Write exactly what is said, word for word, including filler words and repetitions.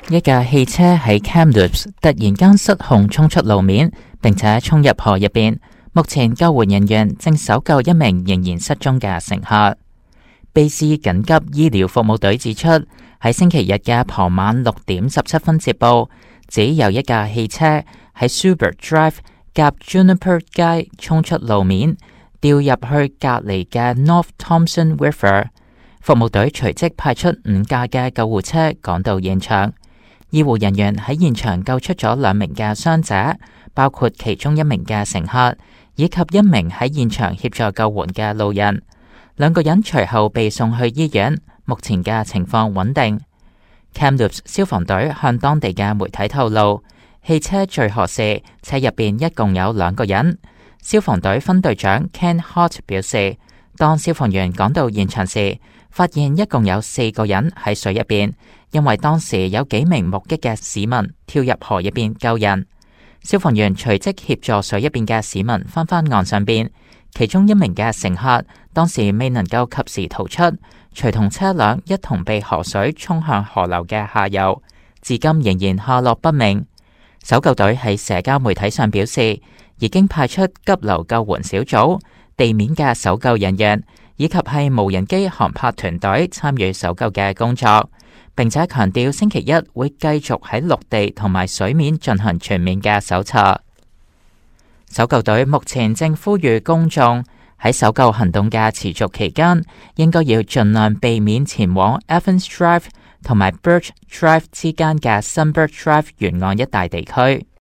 一架汽車喺 Kamloops 突然間失控衝出路面，並且衝入河入邊。目前救援人員正搜救一名仍然失蹤嘅乘客。卑斯緊急醫療服務隊指出，喺星期日嘅傍晚六點十七分接報，指有一架汽車喺 Subert Drive 夾 Juniper 街衝出路面，掉入去隔籬嘅 North Thompson River。服務隊隨即派出五架嘅救護車趕到現場。醫護人員喺現場救出咗兩名嘅傷者，包括其中一名嘅乘客，以及一名喺現場協助救援嘅路人。兩個人隨後被送去醫院，目前嘅情況穩定。Kamloops 消防隊向當地嘅媒體透露，汽車墜河時，車入邊一共有兩個人。消防隊分隊長 Ken Hart 表示，當消防員趕到現場時，發現一共有四個人喺水入邊，因為當時有幾名目擊嘅市民跳入河入邊救人。消防員隨即協助水入邊嘅市民翻返岸上邊，其中一名嘅乘客當時未能夠及時逃出，隨同車輛一同被河水沖向河流嘅下游，至今仍然下落不明。搜救隊喺社交媒體上表示，已經派出急流救援小組、地面嘅搜救人員以及係無人機航拍團隊參與搜救嘅工作，並且強調星期一會繼續喺陸地同埋水面進行全面嘅搜查。搜救隊目前正呼籲公眾喺搜救行動嘅持續期間，應該要盡量避免前往 Evans Drive 同埋 Birch Drive 之間嘅 Sunbird Drive 沿岸一帶地區。